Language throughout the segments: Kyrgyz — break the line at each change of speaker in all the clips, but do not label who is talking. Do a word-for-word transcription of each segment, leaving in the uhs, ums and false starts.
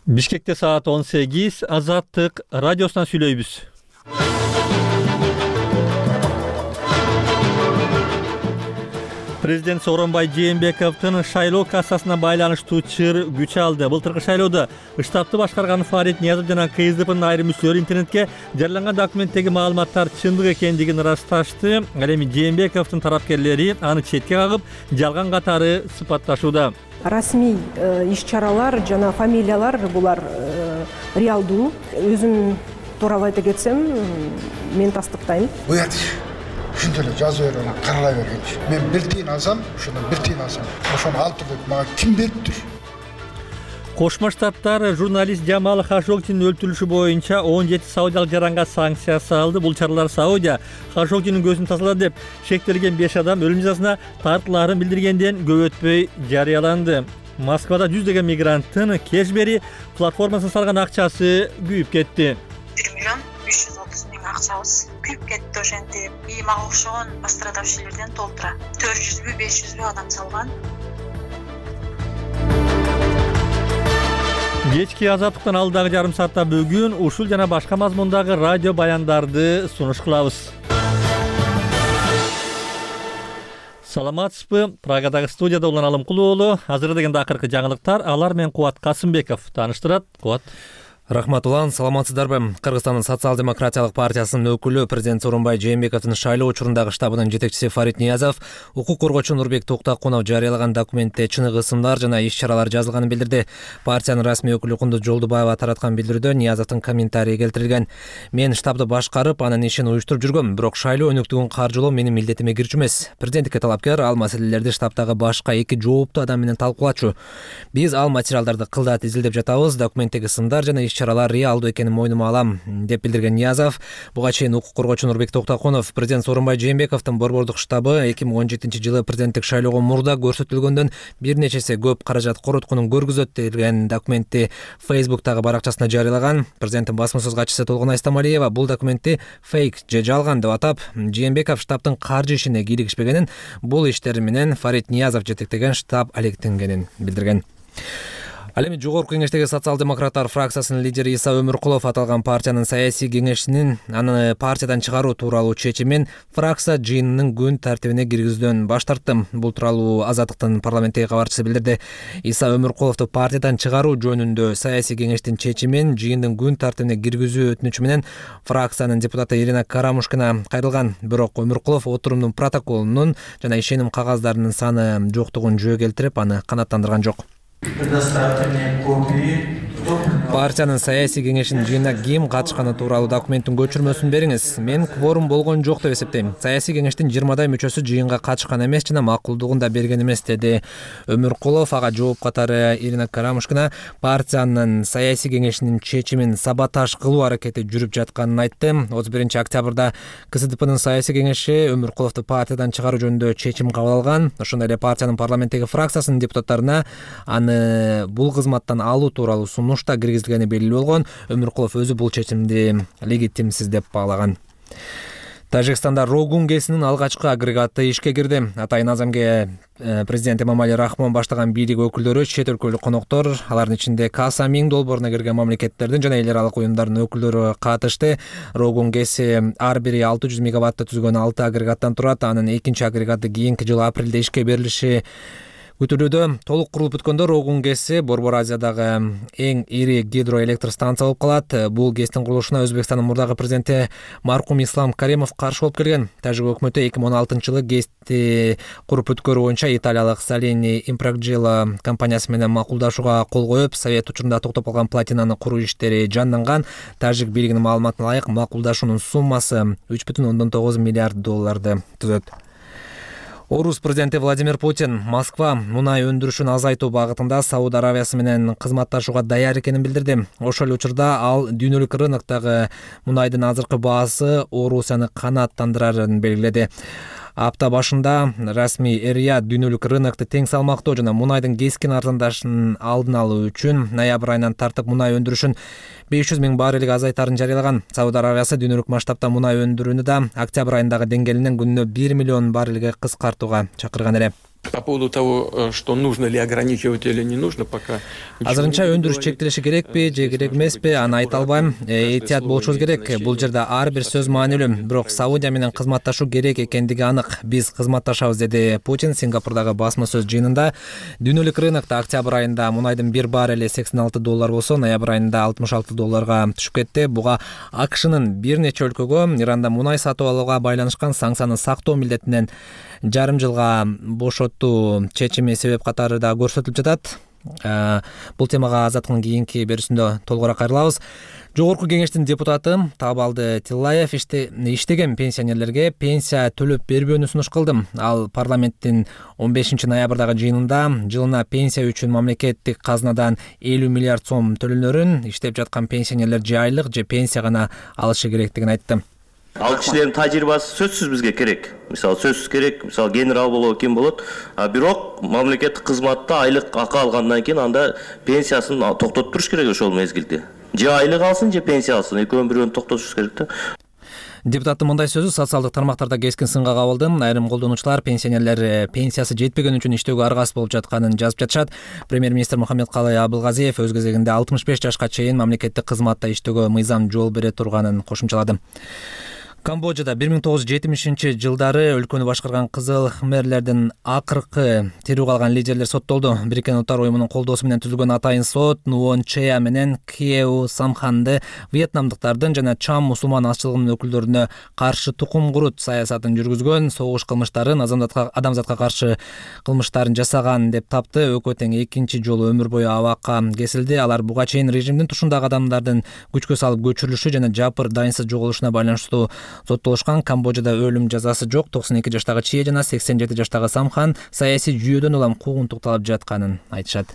Бишкекте саат он сегиз, Азаттык радиосунан сүйлөйбүз. Президент Сооронбай Жээнбековдун шайлоо кассасына байланыштуу чыр күч алды. Былтыркы шайлоодо штабты башкарган Фарит Ниязов жана КСДПнын айрым мүчөлөрү интернетке жарыяланган документтеги маалыматтар чындык экендигин ырасташты. Ал эми Жээнбековдун тарапкерлери аны четке кагып, жалган катары сыпатташууда.
Расмий иш-чаралар жана фамилиялар булар реалдуу. Өзүм тууралуу айта кетсем, мен тастыктайм.
Ушундай эле жазып берип, каралай бергенчи. Мен бир тыйын алсам, ошондон бир тыйын алсам, ошону алып туруп мага ким бериптир?
Кошмо Штаттар журналист Жамал Хашогчинин өлтүрүлүшү боюнча он жети саудиялык жаранга санкция салды. Бул чаралар Саудия Хашогчинин көзүн тазалады деп шектелген беш адам өлүм жазасына тартылаарын билдиргенден көп өтпөй жарыяланды. Москвада жүздөгөн мигранттын кешбери платформасына салган акчасы күйүп кетти.
бир миллион үч жүз отуз миң акчабыз күйүп кетти. Ошентип и мага окшогон пострадавшийлерден толтура төрт жүзбү беш жүзбү адам салган.
Кечки Азаттыктан алдагы жарым саатта бүгүн ушул жана башка мазмундагы радио баяндарды сунуш кылабыз. Саламатсызбы? Прагадагы студияда Улан Алымкулуу уулу. Азыр деген акыркы жаңылыктар алар менен Кубат Касымбеков тааныштырат. Кубат.
Рахмат Улан, саламатсыздарбы? Кыргызстандын социал-демократиялык партиясынын өкүлү президент Сооронбай Жээнбековдун шайлоо учурундагы штабынын жетекчиси Фарит Ниязов укук коргоочу Нурбек Токтокунов жарыялаган документте чыныгы ысымдар жана иш-чаралар жазылганын билдирди. Партиянын расмий өкүлү Кундуз Жолдубаева тараткан билдирүүдө Ниязовдун комментарийи келтирилген. Мен штабды башкарып, анын ишин уюштуруп жүргөм, бирок шайлоо өнүктүгүн каржылоо менин милдетиме кирчү эмес. Президенттикке талапкер ал маселелерди штабтагы башка эки жооптуу адам менен талкуулачу. Биз ал материалдарды кылдат изилдеп жатабыз, документтеги ысымдар жана иш-чаралар реалдуу экенин мойнума алам, деп билдирген Ниязов. Буга чейин укук коргоочу Нурбек Токтокунов президент Сооронбай Жээнбековдун борбордук штабы эки миң он жетинчи жылы президенттик шайлоого мурда көрсөтүлгөндөн бир нечесе көп каражат короткунун көргүзөт деген документти Facebook'тагы баракчасына жарыялаган. Президенттин басма сөз катчысы Толгон Айстамалиева бул документти фейк же жалган деп атап, Жээнбеков штабтын каржы ишине кийлигишпегенин, бул иштер менен Фарит Ниязов жетектеген штаб алектенгенин билдирген. Ал эми жогорку кеңештеги социал-демократтар фракциясынын лидери Иса Өмүркулов аталган партиянын саясий кеңешинин аны партиядан чыгаруу тууралуу чечимин фракция жыйынынын күн тартибине киргизүүдөн баш тартты. Бул тууралуу Азаттыктын парламенттеги кабарчысы билдирди. Иса Өмүркуловду партиядан чыгаруу жөнүндө саясий кеңештин чечимин жыйындын күн тартибине киргизүү өтүнүчү менен фракциянын депутаты Ирина Карамушкина кайрылган. Бирок Өмүркулов отурумдун протоколунун жана ишеним кагаздарынын саны жоктугун жөө келтирип, аны канааттандырган жок.
Предоставьте мне копии.
Партиянын саясий кеңешинин жыйынына ким катышканы тууралуу документтин көчүрмөсүн бериңиз. Мен кворум болгон жок деп эсептейм. Саясий кеңештин жыйырмадай мүчөсү жыйынга катышкан эмес жана макулдугун да берген эмес, деди Өмүркулов. Ага жооп катары Ирина Карамушкина партиянын саясий кеңешинин чечимин саботаж кылуу аракети жүрүп жатканын айтты. отуз биринчи октябрда КСДПнын саясий кеңеши Өмүркуловду партиядан чыгаруу жөнүндө чечим кабыл алган. Ошондой эле партиянын парламенттеги фракциясынын депутаттарына аны бул кызматтан алуу тууралуу сунушта киргизилгени белгилүү болгон. Өмүркулов өзү бул чечимди легитимсиз деп баалаган. Тажикстанда Рогун ГЭСинин алгачкы агрегаты ишке кирди. Атайын Азамге президент Эмомали Рахмон баштаган бийлик өкүлдөрү, чет өлкөлүк коноктор, алардын ичинде Каса миң долбооруна кирген мамлекеттердин жана эл аралык уюмдардын өкүлдөрү катышты. Рогун ГЭСи ар бири алты жүз мегаваттты түзгөн алты агрегаттан турат. Анын экинчи агрегаты кийинки жылы апрелде ишке берилиши күтүлүүдө. Толук курулуп бүткөндө Рогун ГЭСи Борбор Азиядагы эң ири гидроэлектр станция болуп калат. Бул ГЭСтин курулушуна Өзбекстандын мурдагы президенти маркум Ислам Каримов каршы болуп келген. Тажик өкмөтү эки миң он алтынчы жылы ГЭСти куруп бүткөрүү боюнча италиялык Saleni Impragelo компаниясы менен макулдашууга кол коюп, совет учурунда токтоп калган платинаны куруу иштери жанданган. Тажик бийлигинин маалыматына ылайык макулдашуунун суммасы үч бүтүн ондон тогуз миллиард долларды түзөт. Орус президенти Владимир Путин Москва мунай өндүрүшүн азайтуу багытында Сауд Аравиясы менен кызматташууга даяр экенин билдирди. Ошол эле учурда ал дүйнөлүк рыноктогу мунайдын азыркы баасы Орусияны канааттандырарын белгиледи. Апта башында расмий Эр-Рияд дүйнөлүк рынокту тең салмактоо жана мунайдын кескин арзандашын алдын алуу үчүн ноябрь айынан тартып мунай өндүрүшүн беш жүз миң баррелге азайтарын жарыялаган. Сауд Аравиясы дүйнөлүк масштабта мунай өндүрүүнү да октябрь айындагы деңгээлинен күнүнө бир миллион баррелге кыскартууга чакырган эле.
По поводу того, что нужно ли ограничивать или не нужно, пока...
Азырынча өндүрүш чектелиши керекпи же керек эмеспи, аны айта албайм. Этият болушубуз керек. Бул жерде ар бир сөз маанилүү. Бирок Саудия менен кызматташуу керек экендиги анык. Биз кызматташабыз, деди Путин Сингапурдагы басма сөз жыйынында. Дүйнөлүк рынокто октябрь айында мунайдын бир баррели сексен алты доллар болсо, ноябрь айында алтымыш алты долларга түшүп кетти. Буга АКШнын бир нече өлкөгө Иранда мунай сатып алууга байланышкан санкцияны сактоо милдетинен жарым жылга бошотуу чечими себеп катары да көрсөтүлүп жатат. Бул темага Азаттыктын кийинки берүүсүндө толугураак кайрылабыз. Жогорку кеңештин депутаты Табалды Тиллаев иштеген пенсионерлерге пенсия төлөп бербөөнү сунуш кылды. Ал парламенттин он бешинчи ноябрдагы жыйынында жылына пенсия үчүн мамлекеттик казнадан элүү миллиард сом төлөнөрүн иштеп жаткан пенсионерлер же айлык же пенсия гана алышы керектигин айтты.
Ал кишилердин тажрыйбасы сөзсүз бизге керек. Мисалы сөзсүз керек, мисалы генерал болобу ким болот. А бирок мамлекеттик кызматта айлык акы алгандан кийин анда пенсиясын токтотуп туруш керек ошол мезгилде. Же айлык алсын, же пенсия алсын, экөөнүн бирөөнү токтотуш керек да.
Депутаттын мындай сөзү социалдык тармактарда кескин сынга кабылды. Айрым колдонуучулар пенсионерлер пенсиясы жетпеген үчүн иштөөгө аргасыз болуп жатканын жазып жатышат. Премьер-министр Мухаммедкалый Абылгазиев өз кезегинде алтымыш беш жашка чейин мамлекеттик кызматта иштөөгө мыйзам жол бере турганын кошумчалады. Камбоджада бир миң тогуз жүз жетимишинчи жылдары өлкөнү башкарган кызыл хмерлердин акыркы тирүү калган лидерлер соттолду. Бириккен Улуттар уюмунун колдоосу менен түзүлгөн атайын сот Нуон Чея менен Кьеу Самханды вьетнамдыктардын жана Чам мусулман азчылыгынын өкүлдөрүнө каршы тукум курут саясатын жүргүзгөн, согуш кылмыштарын, адамзатка каршы кылмыштарын жасаган деп тапты. Экөө тең экинчи жолу өмүр бою абакка кесилди. Алар буга чейин режимдин тушундагы адамдардын күчкө салып көчүрүлүшү жана жапыр дайынсыз жоголушуна байланыштуу соттолушкан. Камбоджада өлүм жазасы жок. токсон эки жаштагы Чие жана сексен жети жаштагы Самхан саясий жүйөдөн улам куугунтукталып жатканын айтышат.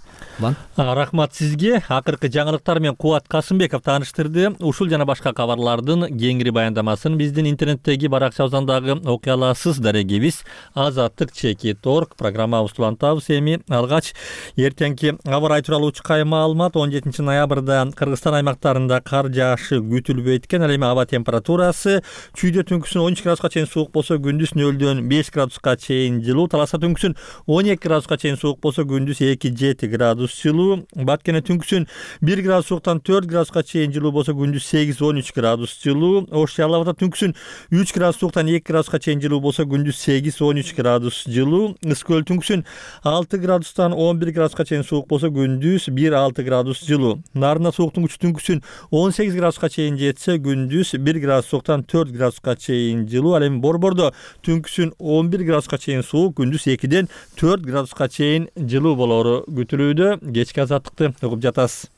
Рахмат сизге. Акыркы жаңылыктар менен Кубат Касымбеков тааныштырды. Ушул жана башка кабарлардын кеңири баяндамасын биздин интернеттеги баракчабыздагы окуяларсыз дарегибиз Азаттык чекит точка орг программабызды улантабыз. Эми алгач эртеңки аба ырайы тууралуу чукай маалымат. он жетинчи ноябрда Кыргызстан аймактарында кар жаашы күтүлбөйт экен. Ал эми аба температурасы чүйдө түнкүсүн он үч градуска чейин суук болсо, күндүз нөлдөн беш градуска чейин жылуу. Таласта түнкүсүн он эки градуска чейин суук болсо, күндүз эки жети градус жылуу. Баткене түнкүсүн бир градус сууктан төрт градуска чейин жылуу болсо, күндүз сегиз он үч градус жылуу. Ош Жалал Абадда түнкүсүн үч градус сууктан эки градуска чейин жылуу болсо, күндүз сегиз он үч градус жылуу. Ыс көл түнкүсүн алты градустан он бир градуска чейин суук болсо, күндүз бир алты градус жылуу. Нарында сууктун күчү түнкүсүн он сегиз градуска чейин жетсе, күндүз бир градус сууктан төрт градуска чейин жылуу. Ал эми Борбордо түнкүсүн он бир градуска чейин суук, күндүз экиден төрт градуска чейин жылуу болору күтүлүүдө. Кечки азаттыкты угуп жатасыз.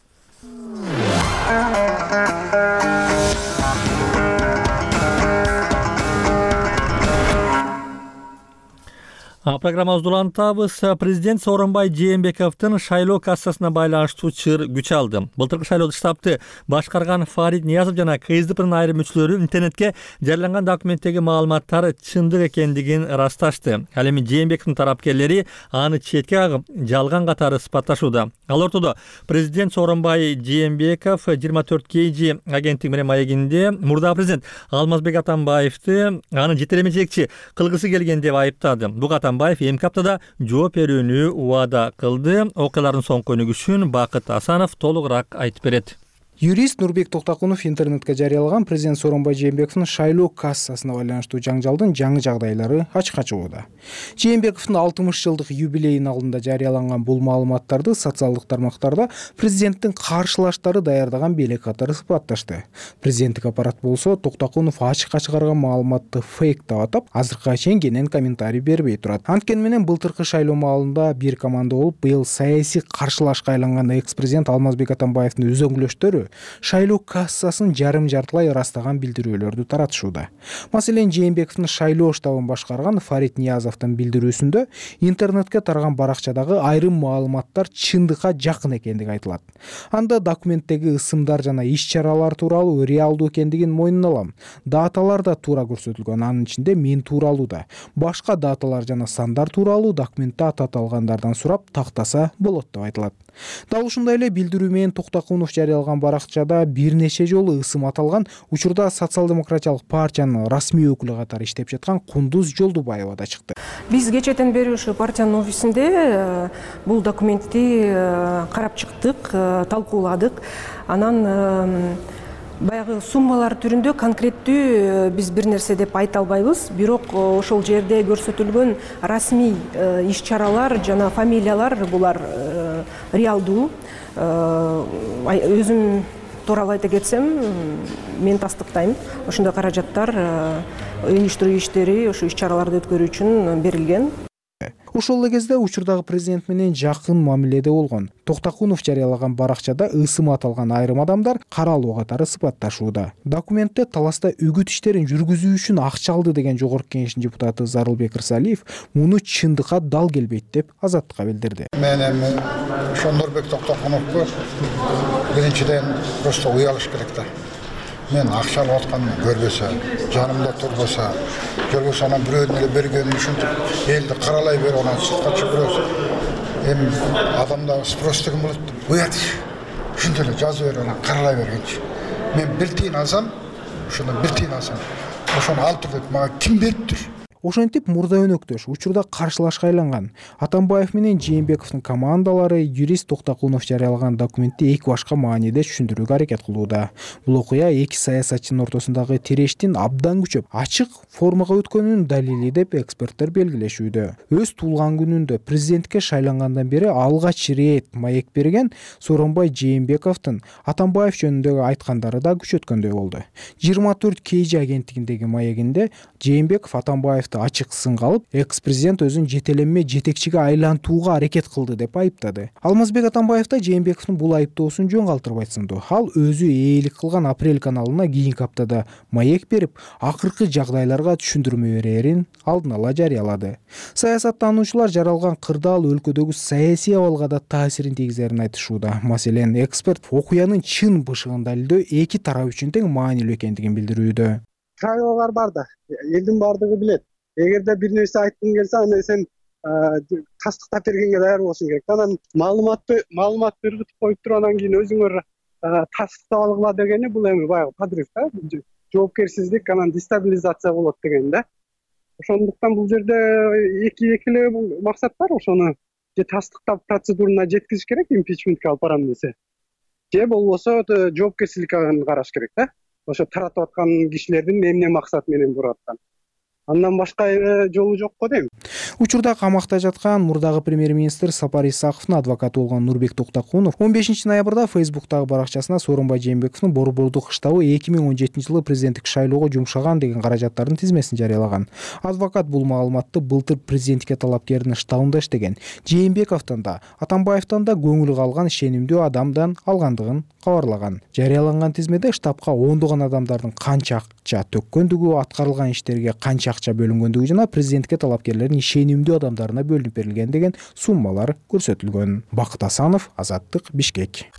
Программабызды улантабыз. Президент Сооронбай Жээнбековдун шайлоо кассасына байланыштуу чыр күч алды. Былтыркы шайлоодо штабты башкарган Фарид Ниязов жана КСДПнын айрым мүчөлөрү интернетке жарыяланган документтеги маалыматтар чындык экендигин ырасташты. Ал эми Жээнбековдун тарапкерлери аны четке кагып, жалган катары сыпатташууда. Ал ортодо президент Сооронбай Жээнбеков жыйырма төрт кей жи агенттиги менен маегинде мурдагы президент Алмазбек Атамбаевди аны жетелеме жетекчи кылгысы келген деп айыптады. Буга Атамбаев эмки аптада жооп берүүнү убада кылды. Окуялардын соңку өнүгүшүн Бакыт Асанов толугураак айтып берет.
Юрист Нурбек Токтакунов интернетке жарыялаган президент Сооронбай Жээнбековдун шайлоо кассасына байланыштуу жаңжалдын жаңы жагдайлары ачыкка чыгууда. Жээнбековдун алтымыш жылдык юбилейин алдында жарыяланган бул маалыматтарды социалдык тармактарда президенттин каршылаштары даярдаган белек катары сыпатташты. Президенттик аппарат болсо Токтакунов ачыкка чыгарган маалыматты фейк деп атап, азыркыга чейин кенен комментарий бербей турат. Анткени менен былтыркы шайлоо маалында бир команда болуп, быйыл саясий каршылашка айланган экс-президент Алмазбек Атамбаевдин үзөңгүлөштөрү шайлоо кассасын жарым жартылай ырастаган билдирүүлөрдү таратышууда. Маселен, Жээнбековдун шайлоо штабын башкарган Фарид Ниязовдун билдирүүсүндө интернетке тараган баракчадагы айрым маалыматтар чындыкка жакын экендиги айтылат. Анда документтеги ысымдар жана иш-чаралар тууралуу реалдуу экендигин мойнуна алам. Даталар да туура көрсөтүлгөн, анын ичинде мен тууралуу да. Башка даталар жана сандар тууралуу документте ататалгандардан сурап тактаса болот деп айтылат. Дал ушундай эле билдирүү менен Токтакунов жарыялаган баракчада бир нече жолу ысым аталган. Учурда социал-демократиялык партиянын расмий өкүлү катары иштеп жаткан Кундуз Жолдубаева да чыкты.
Биз кечээден бери ушу партиянын офисинде бул документти карап чыктык, талкууладык. Анан баягы суммалар түрүндө конкреттүү биз бир нерсе деп айта албайбыз. Бирок ошол жерде көрсөтүлгөн расмий иш-чаралар жана фамилиялар булар реалдуу. Өзүм тууралуу айта кетсем, мен тастыктайм. Ошондой каражаттар уюштуруу иштери, ошо иш-чараларды өткөрүү үчүн берилген.
Ошол эле кезде учурдагы президент менен жакын мамиледе болгон Токтакунов жарыялаган баракчада ысым аталган айрым адамдар каралуу катары сыпатташууда. Документте таласта үгүт иштерин жүргүзүү үчүн акча алды деген жогорку кеңештин депутаты Зарылбек Рысалиев муну чындыкка дал келбейт деп Азаттыкка билдирди.
Мен эми ошо Нурбек Токтакуновго биринчиден просто уялыш керек да. Мен акча алып атканын көрбөсө, жанымда турбаса, көрбөсө анан бирөөнү эле бергенин ушинтип элди каралай берип анан сыртка чыгып эми адамдар спрос деген болот. Уят иш. Ушинтип эле жазып берип анан каралай бергенчи. Мен бир тиын алсам, ошондон бир тиын алсам, ошону ал тур деп мага ким бериптир?
Ошентип мурда өнөктөш учурда каршылашка айланган. Атамбаев менен Жээнбековдун командалары юрист Токтакунов жарыялаган документти эки башка мааниде түшүндүрүүгө аракет кылууда. Бул окуя эки саясатчынын ортосундагы тирештин абдан күчөп, ачык формага өткөнүнүн далили деп эксперттер белгилешүүдө. Өз туулган күнүндө президентке шайлангандан бери алгач рет маек берген Сооронбай Жээнбековдун Атамбаев жөнүндөгү айткандары да күчөткөндөй болду. жыйырма төрт кей жи агенттигиндеги маегинде Жээнбеков Атамбаевди ачык сынга алып, экс-президент өзүн жетеленме жетекчиге айлантууга аракет кылды деп айыптады. Алмазбек Атамбаев да Жээнбековдун бул айыптоосун жөн калтырбайт сынды. Ал өзү ээлик кылган Апрель каналына кийинки аптада маек берип, акыркы жагдайларга түшүндүрмө берерин алдын ала жарыялады. Саясаттануучулар жаралган кырдаал өлкөдөгү саясий абалга да таасирин тийгизерин айтышууда. Маселен, эксперт окуянын чын бышыгын далилдөө эки тарап үчүн тең маанилүү экендигин билдирүүдө.
Правилалар бар да, элдин бардыгы билет. Эгерде бир нерсе айткың келсе, аны сен тастыктап бергенге даяр болушуң керек. Анан маалыматты маалыматты ыргытып коюп туруп анан кийин өзүңөр тастыктап алгыла дегени бул эми баягы подрыв да, жоопкерсиздик, анан дестабилизация болот деген да. Ошондуктан бул жерде эки эки эле максат бар. Ошону же тастыктап процедурана жеткизиш керек, импичментке алып барам десе. Же болбосо жоопкерчиликке караш керек да. Ошо таратып аткан кишилердин эмне максат менен буруп аткан. Андан башка жолу жок го дейм.
Учурда камакта жаткан мурдагы премьер-министр Сапар Исаковдун адвокаты болгон Нурбек Токтакунов он бешинчи ноябрда Фейсбуктагы баракчасына Сооронбай Жээнбековдун Борбордук штабы эки миң он жетинчи жылы президенттик шайлоого жумшаган деген каражаттардын тизмесин жарыялаган. Адвокат бул маалыматты былтыр президентке талапкердин штабында иштеген Жээнбековдон да, Атамбаевден да көңүл калган ишенимдүү адамдан алгандыгын кабарлаган. Жарыяланган тизмеде штабка ондогон адамдардын канча акча төккөндүгү, аткарылган иштерге канча акча бөлүнгөндүгү жана президентке талапкерлердин ишенимдүү адамдарына бөлүнүп берилген деген суммалар көрсөтүлгөн. Бакыт Асанов, Азаттык, Бишкек.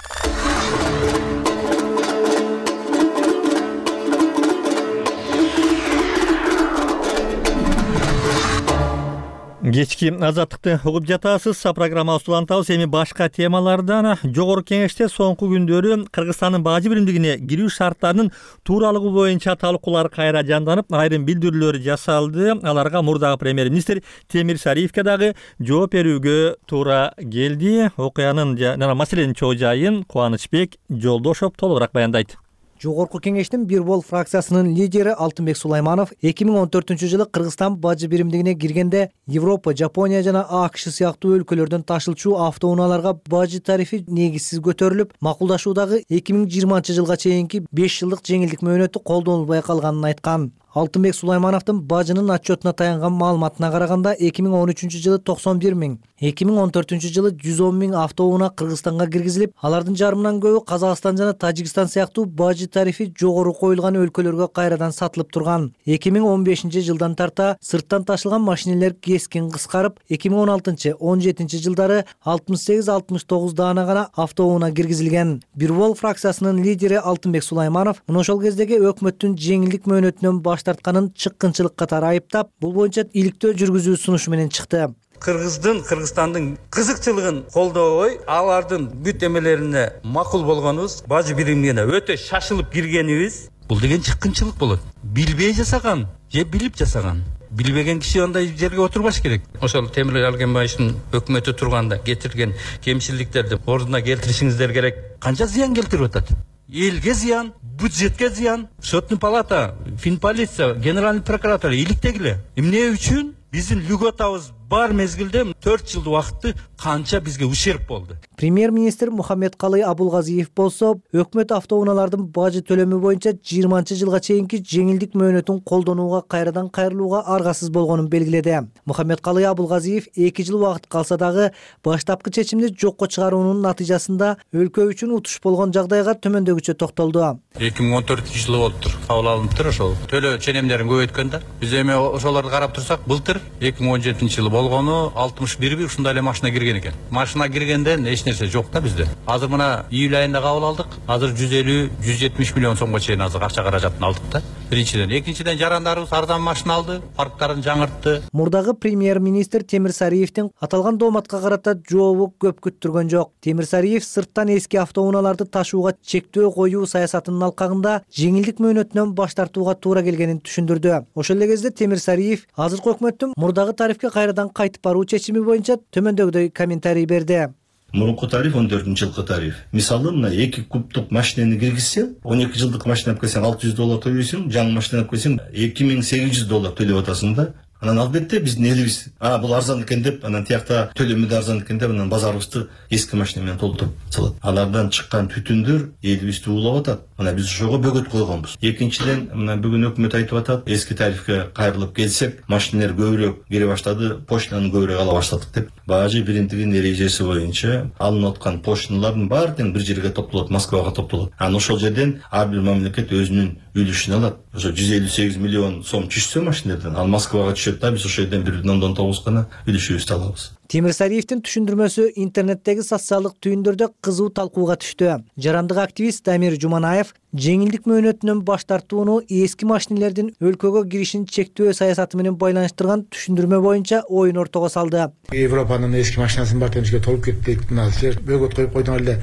Кечки Азаттыкты угуп жатасыз. Программабызды улантабыз. Эми башка темалардан жогорку кеңеште соңку күндөрү Кыргызстандын бажы биримдигине кирүү шарттарынын тууралыгы боюнча талкуулар кайра жанданып, айрым билдирүүлөр жасалды. Аларга мурдагы премьер-министр Темир Сариевке дагы жооп берүүгө туура келди. Окуянын жана маселенин чоо жайын Кубанычбек Жолдошов толугураак баяндайт.
Жогорку кеңештин бир бол фракциясынын лидери Алтынбек Сулайманов эки миң он төртүнчү жылы Кыргызстан бажы биримдигине киргенде Европа, Жапония жана АКШ сыяктуу өлкөлөрдөн ташылчу автоунааларга бажы тарифи негизсиз көтөрүлүп, макулдашуудагы эки миң жыйырманчы жылга чейинки беш жылдык жеңилдик мөөнөтү колдонулбай калганын айткан. Алтынбек Сулаймановдун бажынын отчетуна таянган маалыматына караганда эки миң он үчүнчү жылы токсон бир миң, эки миң он төртүнчү жылы жүз он миң автоунаа Кыргызстанга киргизилип, алардын жарымынан көбү Казакстан жана Тажикстан сыяктуу бажы тарифи жогору коюлган өлкөлөргө кайрадан сатылып турган. эки миң он бешинчи жылдан тарта сырттан ташылган машинелер кескин кыскарып, эки миң он алтынчы он жетинчи жылдары алтымыш сегиз алтымыш тогуз даана гана автоунаа киргизилген. Бир бол фракциясынын лидери Алтынбек Сулайманов мына ошол кездеги өкмөттүн жеңилдик мөөнөтүнөн баш тартканын чыккынчылык катары айыптап, бул боюнча иликтөө жүргүзүү сунушу менен чыкты.
Кыргыздын, Кыргызстандын кызыкчылыгын колдобой, алардын бүт эмелерине макул болгонубуз, бажы биримине өтө шашылып киргенибиз, бул деген чыккынчылык болот. Билбей жасаган же билип жасаган. Билбеген киши андай жерге отурбаш керек. Ошол Темир Алгенбаевдин өкмөтү турганда кетирген кемчиликтерди ордуна келтиришиңиздер керек. Канча зыян келтирип атат? Элге зыян, бюджетке зыян. Сотный палата, Финполиция, генеральный прокуратура иликтегиле. Эмне үчүн биздин льготабыз бар мезгилде төрт жыл убакытты канча бизге ущерб болду.
Премьер-министр Мухаммедкалый Абулгазиев болсо, өкмөт автоунаалардын бажы төлөмү боюнча жыйырманчы жылга чейинки жеңилдик мөөнөтүн колдонууга кайрадан кайрылууга аргасыз болгонун белгиледи. Мухаммедкалый Абулгазиев эки жыл убакыт калса дагы баштапкы чечимди жокко чыгаруунун натыйжасында өлкө үчүн утуш болгон жагдайга төмөндөгүчө токтолду.
эки миң он төртүнчү жылы болуптур. Кабыл алыныптыр ошол. Төлөө ченемдерин көбөйткөн да. Биз эми ошолорду карап турсак, былтыр эки миң он жетинчи жылы болгону алтымыш бир ушундай эле машина кирген экен. Машина киргенден эч нерсе жок да бизде. Азыр мына июль айында кабыл алдык. Азыр жүз элүү жүз жетимиш миллион сомго чейин азыр акча каражатын алдык да. Биринчиден, экинчиден жарандарыбыз арзан машина алды, парктарын жаңыртты.
Мурдагы премьер-министр Темир Сариевдин аталган дооматка карата жообу көп күттүргөн жок. Темир Сариев сырттан эски автоунааларды ташууга чектөө коюу саясатынын алкагында жеңилдик мөөнөтүнөн баш тартууга туура келгенин түшүндүрдү. Ошол эле кезде Темир Сариев азыркы өкмөттүн мурдагы тарифке кайрадан кайтып баруу чечими боюнча төмөндөгүдөй комментарий берди.
Мурунку тариф он төртүнчү жылкы тариф. Мисалы мына эки кубтук машинени киргизсе, он эки жылдык машина алып келсең алты жүз доллар төлөйсүң, жаңы машина алып келсең эки миң сегиз жүз доллар төлөп атасың да. Анан албетте биздин элибиз, а бул арзан экен деп, анан тиякта төлөмү да арзан экен деп, анан базарыбызды эски машина менен толтуруп салат. Алардан чыккан түтүндөр элибизди уулап атат. Мына биз ошого бөгөт койгонбуз. Экинчиден, мына бүгүн өкмөт айтып атат, эски тарифке кайрылып келсек, машинелер көбүрөөк кире баштады, поштаны көбүрөөк ала баштадык деп. Бажы биримдигинин эрежеси боюнча алынып аткан пошталардын баары тең бир жерге топтолот, Москвага топтолот. Анан ошол жерден ар бир мамлекет өзүнүн үлүшүн алат. Ошо жүз элүү сегиз миллион сом түшсө машинелерден, ал Москвага түшөт да, биз ошол жерден бир бүтүн ондон тогуз гана үлүшүбүздү алабыз.
Темир Сариевдин түшүндүрмөсү интернеттеги социалдык түйүндөрдө кызуу талкууга түштү. Жарандык активист Дамир Жуманаев жеңилдик мөөнөтүнөн баш тартууну эски машинелердин өлкөгө киришин чектөө саясаты менен байланыштырган түшүндүрмө боюнча оюн ортого салды.
Европанын эски машинасын бар темишке толуп кетти. Мына силер бөгөт коюп койдуңар эле.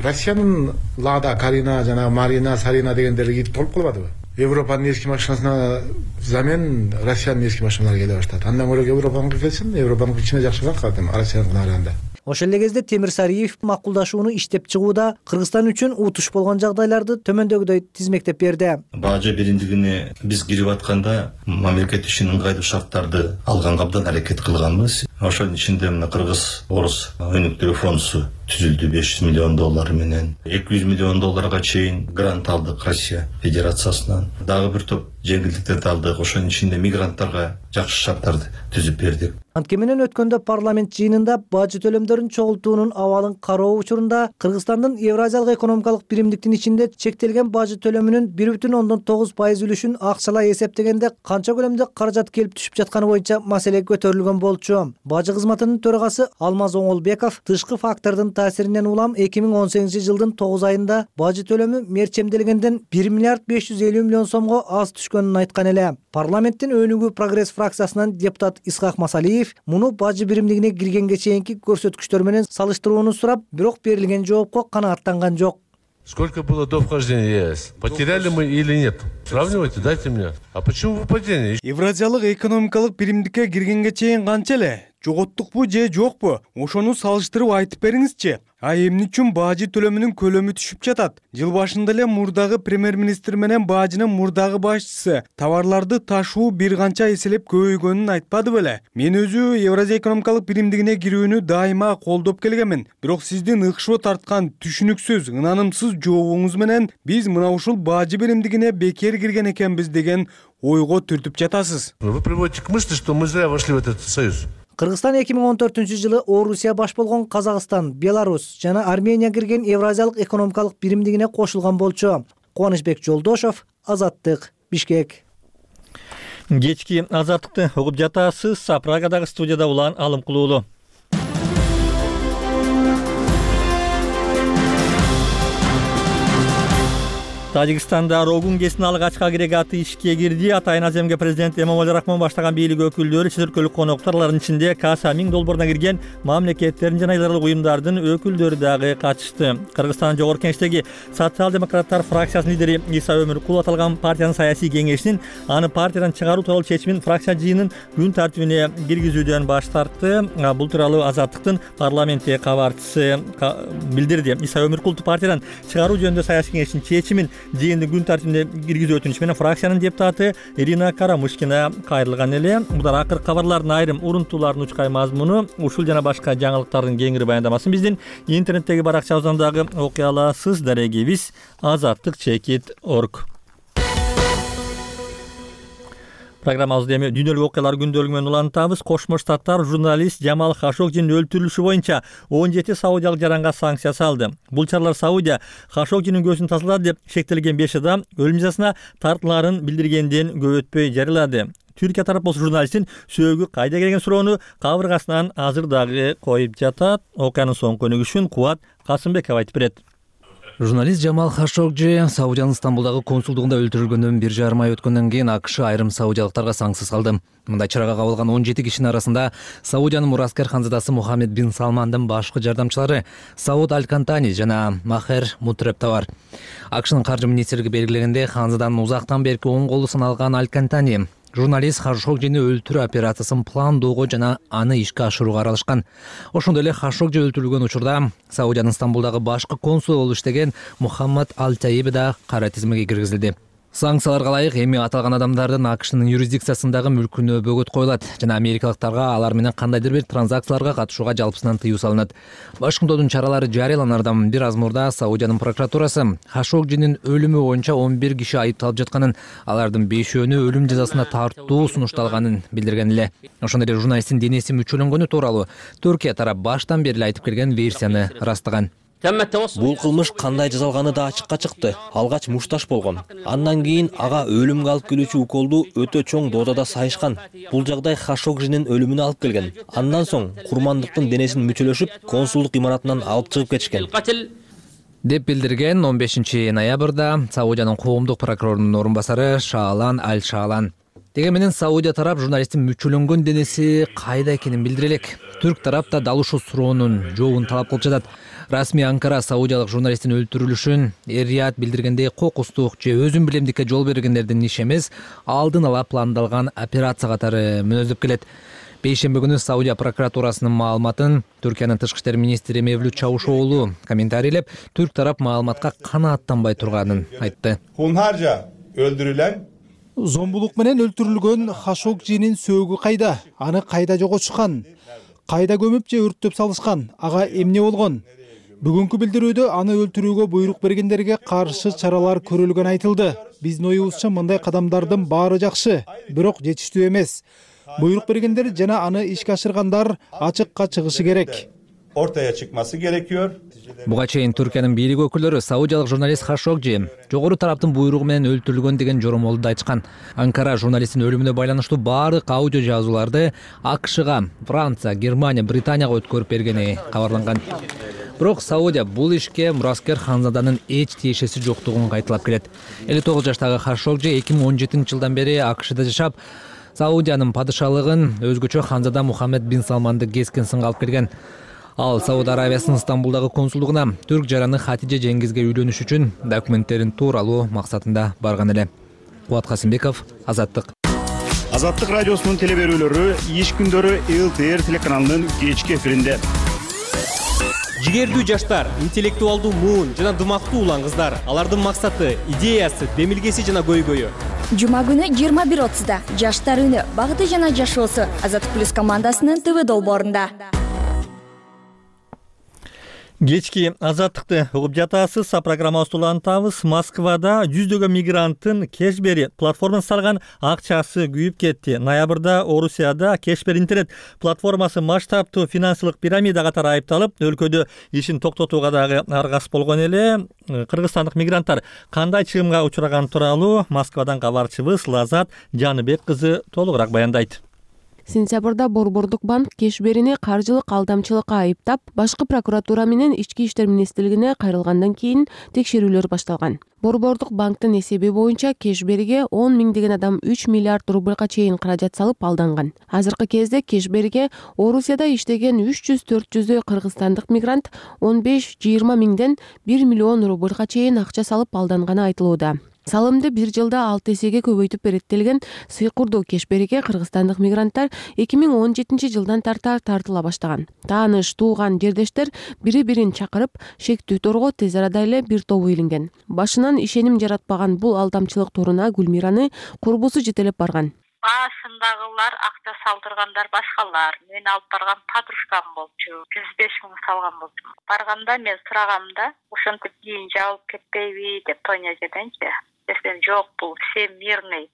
Россиянын Лада, Карина, жана Марина, Сарина дегендери толуп калбадыбы? Европанын эски машинасына замен Россиянын эски машиналары келе баштады. Андан көрө Европаныкы келсин, Европаныкы кичине жакшыраак кадим Россияныкына караганда.
Ошол эле кезде Темир Сариев макулдашууну иштеп чыгууда Кыргызстан үчүн утуш болгон жагдайларды төмөндөгүдөй тизмектеп берди.
Бажы биримдигине биз кирип атканда мамлекет үчүн ыңгайлуу шарттарды алганга абдан аракет кылганбыз. Ошонун ичинде мына Кыргыз Орус өнүктүрүү фондусу түзүлдү беш жүз миллион доллар менен. эки жүз миллион долларга чейин грант алдык Россия Федерациясынан. Дагы бир топ жеңилдиктерди алдык. Ошонун ичинде мигранттарга жакшы шарттарды түзүп бердик.
Анткени менен өткөндө парламент жыйынында бажы төлөмдөрүн чогултуунун абалын кароо учурунда Кыргызстандын Евразиялык экономикалык биримдиктин ичинде чектелген бажы төлөмүнүн бир бүтүн ондон тогуз пайыз үлүшүн акчалай эсептегенде канча көлөмдө каражат келип түшүп жатканы боюнча маселе көтөрүлгөн болчу. Бажы кызматынын төрагасы Алмаз Оңолбеков тышкы фактордун таасиринен улам эки миң он сегизинчи жылдын тогуз айында бажы төлөмү мерчемделгенден бир миллиард беш жүз элүү миллион сомго аз түшкөнүн айткан эле. Парламенттин Өнүгүү прогресс фракциясынан депутат Исхак Масалиев муну бажы биримдигине киргенге чейинки көрсөткүчтөр менен салыштырууну сурап, бирок берилген жоопко канааттанган жок.
Сколько было до вхождения ЕС? Потеряли мы или нет? Сравнивайте, дайте мне. А почему выпадение?
Евразиялык экономикалык биримдикке киргенге чейин канча эле? Жоготтукпу же жокпу? Ошону салыштырып айтып бериңизчи. А эмне үчүн бажы төлөмүнүн көлөмү түшүп жатат? Жыл башында эле мурдагы премьер-министр менен бажынын мурдагы башчысы товарларды ташуу бир канча эселеп көбөйгөнүн айтпады беле? Мен өзү Евразия экономикалык биримдигине кирүүнү дайыма колдоп келгенмин. Бирок сиздин ыкшоо тарткан түшүнүксүз, ынанымсыз жообуңуз менен биз мына ушул бажы биримдигине бекер кирген экенбиз деген ойго түртүп жатасыз.
Вы приводите к мысли, что мы зря вошли в этот союз.
Кыргызстан эки миң он төртүнчү жылы Орусия баш болгон Казакстан, Беларусь жана Армения кирген Евразиялык экономикалык биримдигине кошулган болчу. Кубанычбек Жолдошов, Азаттык, Бишкек.
Кечки Азаттыкты угуп жатасыз. Прагадагы студияда Улан Алымкулуулу. Тажикстанда Рогун кесин алгачкы агрегаты ишке кирди. Атайын Аземге президент Эмомали Рахмон баштаган бийлик өкүлдөрү, чет өлкөлүк коноктор, алардын ичинде Каса миң долборуна кирген мамлекеттердин жана айдаралык уюмдардын өкүлдөрү дагы катышты. Кыргызстандын жогорку кеңештеги социал-демократтар фракциясынын лидери Иса Өмүркул аталган партиянын саясий кеңешинин аны партиядан чыгаруу тууралуу чечимин фракция жыйынын күн тартибине киргизүүдөн баш тартты. Бул тууралуу Азаттыктын парламентте кабарчысы билдирди. Иса Өмүркул партиядан чыгаруу жөнүндө саясий кеңештин чечимин жыйындын күн тартибине киргизүү өтүнүшү менен фракциянын депутаты Ирина Карамышкина кайрылган эле. Мудар акыркы кабарлардын айрым урунтуулардын учкай мазмуну. Ушул жана башка жаңылыктардын кеңири баяндамасын биздин интернеттеги баракчабыздан дагы окуй аласыз. Дарегибиз азаттык чекит точка орг. Программабызды эми дүйнөлүк окуялар күндөлүгү менен улантабыз. Кошмо Штаттар журналист Жамал Хашогжинин өлтүрүлүшү боюнча он жети саудиялык жаранга санкция салды. Бул чаралар Саудия Хашогжинин көзүн тасалады деп шектелген беш адам өлүм жазасына тартылаарын билдиргенден көп өтпөй жарыялады. Түркия тарап болсо журналисттин сөөгү кайда келген суроону кабыргасынан азыр дагы коюп жатат. Окуянын соңку өнүгүшүн Кубат Касымбеков айтып берет.
Журналист Жамал Хашогжи Саудиянын Стамбулдагы консулдугунда өлтүрүлгөндөн бир жарым ай өткөндөн кийин АКШ айрым саудиялыктарга санкция салды. Мындай чарага кабылган он жети кишинин арасында Саудиянын мураскер ханзадасы Мухаммед бин Салмандын башкы жардамчылары Сауд Аль-Кантани жана Махер Мутреб да бар. АКШнын каржы министрлиги белгилегенде, ханзаданын узактан берки оң колу саналган Аль-Кантани журналист Хашогжини өлтүрүү операциясын пландоого жана аны ишке ашырууга аралашкан. Ошондой эле Хашогжи өлтүрүлгөн учурда Саудиянын Стамбулдагы башкы консул болуп иштеген Мухаммад Аль-Таиби да кара тизмеге киргизилди. Санкцияларга ылайык эми аталган адамдардын АКШнын юрисдикциясындагы мүлкүнө бөгөт коюлат жана америкалыктарга алар менен кандайдыр бир транзакцияларга катышууга жалпысынан тыюу салынат. Вашингтондун чаралары жарыяланардан бир аз мурда Саудиянын прокуратурасы Хашогжинин өлүмү боюнча он бир киши айыпталып жатканын, алардын бешөөнү өлүм жазасына тартуу сунушталганын билдирген эле. Ошондой эле журналисттин денеси мүчөлөнгөнү тууралуу Түркия тарап баштан бери айтып келген версияны ырастаган.
Бул кылмыш кандай жасалганы да ачыкка чыкты. Алгач мушташ болгон. Андан кийин ага өлүмгө алып келүүчү уколду өтө чоң дозада сайышкан. Бул жагдай Хашогжинин өлүмүнө алып келген. Андан соң курмандыктын денесин мүчөлөшүп, консулдук имаратынан алып чыгып кетишкен
деп билдирген он бешинчи ноябрда Саудиянын коомдук прокурорунун орун басары Шаалан Аль-Шаалан. Деге менен Саудия тарап журналисттин мүчөлөнгөн денеси кайда экенин билдире элек. Түрк тарап да дал ушул суроонун жообун талап кылып жатат. Расмий Анкара саудиялык журналисттин өлтүрүлүшүн Эр-Рияд билдиргендей кокустук же өзүн билемдикке жол бергендердин иши эмес, алдын ала пландалган операция катары мүнөздөп келет. Бейшемби күнү Саудия прокуратурасынын маалыматын Түркиянын тышкы иштер министри Мевлют Чавушоğlu комментарийлеп, түрк тарап маалыматка канааттанбай турганын айтты.
Hunharca öldürülen
Зомбулук менен өлтүрүлгөн Хашогжинин сөөгү кайда? Аны кайда жоготушкан? Кайда көмүп же өрттөп салышкан? Ага эмне болгон? Бүгүнкү билдирүүдө аны өлтүрүүгө буйрук бергендерге каршы чаралар көрүлгөнү айтылды. Биздин оюбузча мындай кадамдардын баары жакшы, бирок жетиштүү эмес. Буйрук бергендер жана аны ишке ашыргандар ачыкка чыгышы керек.
Ortaya çıkması gerekiyor.
Буга чейин Түркиянын бийлик өкүлдөрү саудиялык журналист Хашогжи жогору тараптын буйругу менен өлтүрүлгөн деген жоромолду айтышкан. Анкара журналисттин өлүмүнө байланыштуу баардык аудио жазууларды АКШга, Франция, Германия, Британияга өткөрүп бергени кабарланган. Бирок Саудия бул ишке мураскер ханзаданын эч тиешеси жоктугун кайталап келет. элүү тогуз жаштагы Хашогжи эки миң он жетинчи жылдан бери АКШда жашап, Саудиянын падышалыгын өзгөчө ханзада Мухаммед бин Салманды кескен сынга алып келген. Ал Сауд Арабиясынын Стамбулдагы консулдугуна түрк жараны Хатиже Жеңгизге үйлөнүш үчүн документтерин тууралуу максатында барган эле. Кубат Касымбеков, Азаттык.
Азаттык радиосунун телеберүүлөрү иш күндөрү эл тэ эр телеканалынын кечки эфиринде.
Жигердүү жаштар, интеллектуалдуу муун жана дымактуу улан кыздар. Алардын максаты, идеясы, демилгеси жана көйгөйү.
Жума күнү жыйырма бир отузда жаштар үнү, багыты жана жашоосу Азаттык плюс командасынын ТВ долбоорунда.
Кечки Азаттыкты угуп жатасыз. Программабызды улантабыз. Москвада жүздөгөн мигранттын Кешбери платформасы салган акчасы күйүп кетти. Ноябрда Орусияда Кешбери интернет платформасы масштабтуу финансылык пирамида катары айыпталып, өлкөдө ишин токтотууга дагы аргасыз болгон эле. Кыргызстандык мигранттар кандай чыгымга учураган тууралуу Москвадан кабарчыбыз Лазат Жаныбек кызы толугураак баяндайт.
Сентябрда Борбордук банк Кешберини каржылык алдамчылыкка айыптап, башкы прокуратура менен Ички иштер министрлигине кайрылгандан кийин текшерүүлөр башталган. Борбордук банктын эсеби боюнча Кешбериге он миңдеген адам үч миллиард рубльга чейин каражат салып алданган. Азыркы кезде Кешбериге Орусияда иштеген үч жүз төрт жүздөй кыргызстандык мигрант он беш жыйырма миңден бир миллион рубльга чейин акча салып алданганы айтылууда. Салымды бир жылда алты эсеге көбөйтүп береттелген сыйкурдуу Кешбериге кыргызстандык мигранттар эки миң он жетинчи жылдан тарта тартыла баштаган. Тааныш, тууган, жердештер бири-бирин чакырып, шектүү торго тез арада эле бир тобу илинген. Башынан ишеним жаратпаган бул алдамчылык туруна Гүлмираны курбусу жетелеп барган.
Башындагылар акча салдыргандар башкалар. Мен алып барган подружкам болчу. жүз беш миң салган болчу. Барганда мен сурагамда, ошентип кийин жабылып кетпейби деп Тоня жеденчи. Десем жок, бул все мирный.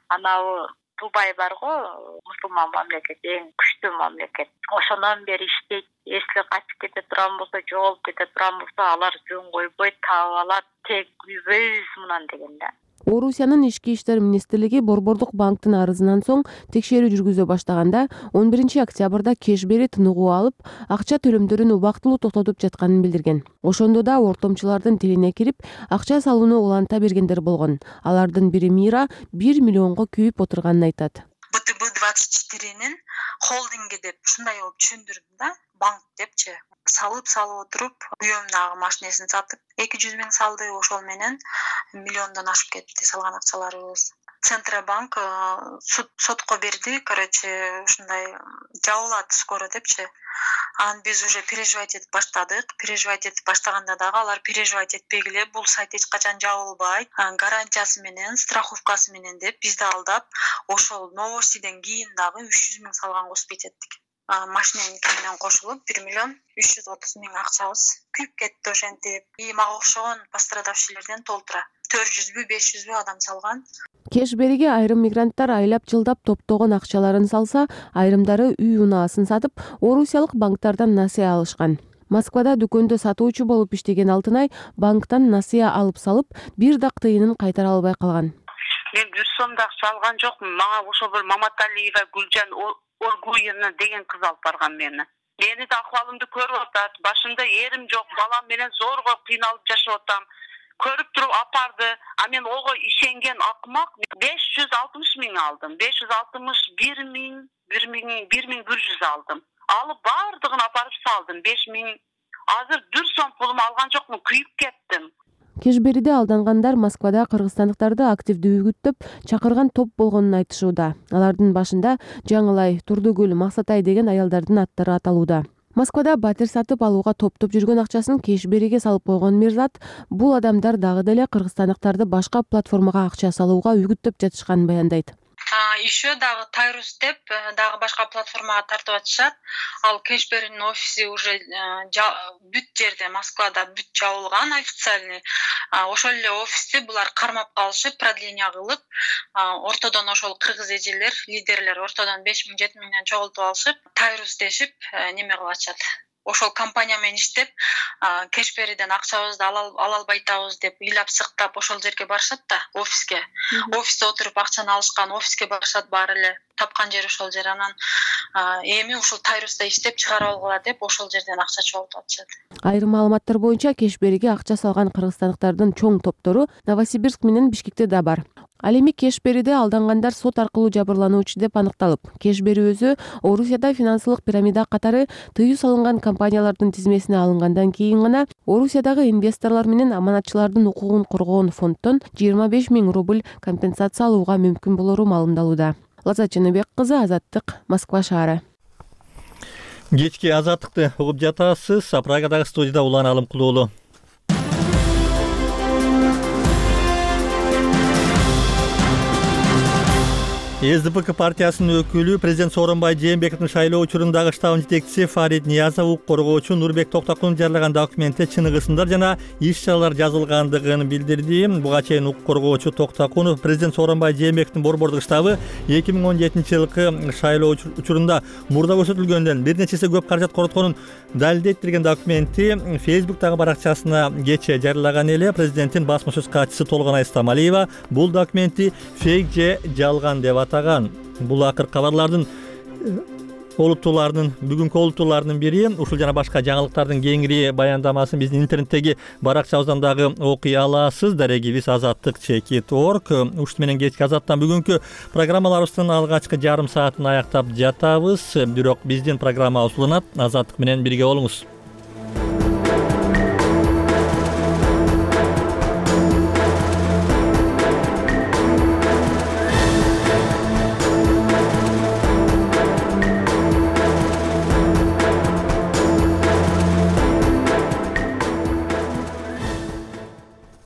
Анау Дубай барго, мусулман мамлекет, эң күчтүү мамлекет. Ошондон бери иштейт. Эсли качып кете турган болсо, жоголуп кете турган болсо, алар жөн койбойт, таап алат, тек үйбөйбүз мынан дегенде.
Орусиянын Ички иштер министрлиги Борбордук банктын арызынан соң текшерүү жүргүзө баштаганда он биринчи октябрда Кешбери тыныгуу алып, акча төлөмдөрүн убактылуу токтотуп жатканын билдирген. Ошондо да ортомчулардын тилине кирип, акча салууну уланта бергендер болгон. Алардын бири Мира бир миллионго күйүп отурганын айтат.
бэ тэ бэ двадцать четыренин холдинги деп ушундай болуп түшүндүрдүм да, банк депчи. Салып салып отуруп, күйөөм дагы машинесин сатып, эки жүз миң салды, ошол менен миллиондон ашып кетти салган акчаларыбыз. Центробанк сотко берди, короче, ушундай жабылат скоро депчи. Анан биз уже переживать этип баштадык. Переживать этип баштаганда дагы алар переживать этпегиле, бул сайт эч качан жабылбайт, гарантиясы менен, страховкасы менен деп бизди алдап, ошол новостиден кийин дагы үч жүз миң салганга успеть эттик. Машиненики менен кошулуп бир миллион үч жүз отуз миң акчабыз күйүп кетти ошентип. И мага окшогон пострадавшийлерден толтура төрт жүзбү беш жүзбү адам салган.
Кешбериге айрым мигранттар айлап жылдап топтогон акчаларын салса, айрымдары үй унаасын сатып, орусиялык банктардан насыя алышкан. Москвада дүкөндө сатуучу болуп иштеген Алтынай банктан насыя алып салып, бир дак тыйынын кайтара албай калган.
Мен жүз сом да салган жокмун. Мага ошо бир Маматалиева Гүлжан Оргуевна деген кыз алып барган мени. Мени да акыбалымды көрүп атат. Башымда эрим жок, балам менен зорго кыйналып жашап атам. Көрүп туруп апарды. А мен ого ишенген акмак беш жүз алтымыш миң алдым. беш жүз алтымыш бир миң, бир миң, бир миң бир жүз алдым. Алып бардыгын апарып салдым. беш миң. Азыр бир сом пулум алган жокмун, күйүп кеттим.
Кешбериде алдангандар Москвада кыргызстандыктарды активдүү үгүттөп чакырган топ болгонун айтышууда. Алардын башында Жаңылай, Турдугүл, Максатай деген аялдардын аттары аталууда. Москвада батир сатып алууга топтоп жүргөн акчасын Кешбериге салып койгон Мирзат, бул адамдар дагы деле кыргызстандыктарды башка платформага акча салууга үгүттөп жатышканын баяндайт.
Еще дагы Тайрус деп дагы башка платформага тартып атышат. Ал Кешберинин офиси уже бүт жерде Москвада бүт жабылган официальный. Ошол эле офисти булар кармап калышып, продление кылып, ортодон ошол кыргыз эжелер, лидерлер ортодон беш миң жети миңден чогултуп алышып, Тайрус дешип неме кылып атышат. Ошол компания менен иштеп, Кешбериден акчабызды ала албай атабыз деп ыйлап сыктап ошол жерге барышат да, офиске. Офисте отуруп акчаны алышкан, офиске барышат баары эле. Тапкан жери ошол жер. Анан эми ушул Тайруста иштеп чыгарып алгыла деп ошол жерден акча чогултуп атышат.
Айрым маалыматтар боюнча Кешбериге акча салган кыргызстандыктардын чоң топтору Новосибирск менен Бишкекте да бар. Ал эми Кешбериде алдангандар сот аркылуу жабырлануучу деп аныкталып, Кешбери өзү Орусияда финансылык пирамида катары тыюу салынган компаниялардын тизмесине алынгандан кийин гана Орусиядагы инвесторлор менен аманатчылардын укугун коргоон фонддон жыйырма беш миң рубль компенсация алууга мүмкүн болору маалымдалууда. Лаззат Жаныбек кызы, Азаттык, Москва шаары.
Кечки Азаттыкты угуп жатасыз. Прагадагы студияда Улан Алымкулуулу. эс дэ пэ ка партиясынын өкүлү президент Сооронбай Жээнбековдун шайлоо учурундагы штабынын жетекчиси Фарид Ниязов укук коргоочу Нурбек Токтокунов жарыяган документте чыныгысындар жана иш-чаралар жазылгандыгын билдирди. Буга чейин укук коргоочу Токтокунов президент Сооронбай Жээнбековдун борбордук штабы эки миң он жетинчи жылкы шайлоо учурунда мурда көрсөтүлгөндөн бир нече эсе көп каражат коротконун далилдейт деген документти Facebook'тагы баракчасына кечээ жарыялаган эле. Президенттин басма сөз катчысы Толгонай Стамалиева бул документти фейк же жалган деп атаган. Бул акыр кабарлардын олуттууларынын бүгүнкү олуттууларынын бири. Ушул жана башка жаңылыктардын кеңири баяндамасын биздин интернеттеги баракчабыздан дагы окуй аласыз. Дарегибиз азаттык чекит орг. Ушут менен кечки азаттан бүгүнкү программаларыбыздын алгачкы жарым саатын аяктап жатабыз. Бирок биздин программа узулунат. Азаттык менен бирге болуңуз.